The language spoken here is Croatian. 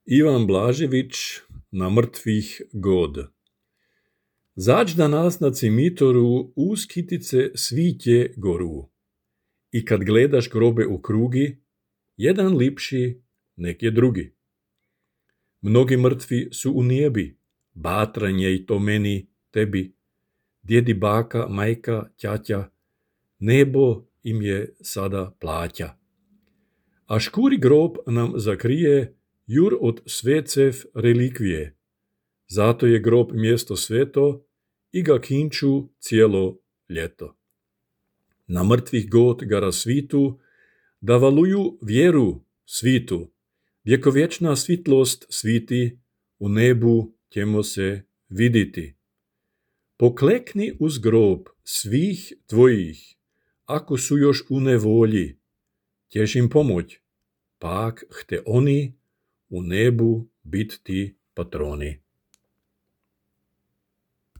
Ivan Blažević na mrtvih god. Zađ da nas na cimitoru uz kitice svitje goru. I kad gledaš grobe u krugi, jedan lipši, nek je drugi. Mnogi mrtvi su u nijebi, batranje i to meni, tebi. Djedi, baka, majka, ćaća, nebo im je sada plaća. A škuri grob nam zakrije jur od svecev relikvije. Zato je grob mjesto sveto i ga kinču cijelo ljeto. Na mrtvih god ga rasvitu, da valuju vjeru svitu. Vjekovječna svitlost sviti, u nebu ćemo se viditi. Poklekni uz grob svih tvojih, ako su još u nevolji, ćeš im pomoć, pak hte oni u nebu bit ti patroni.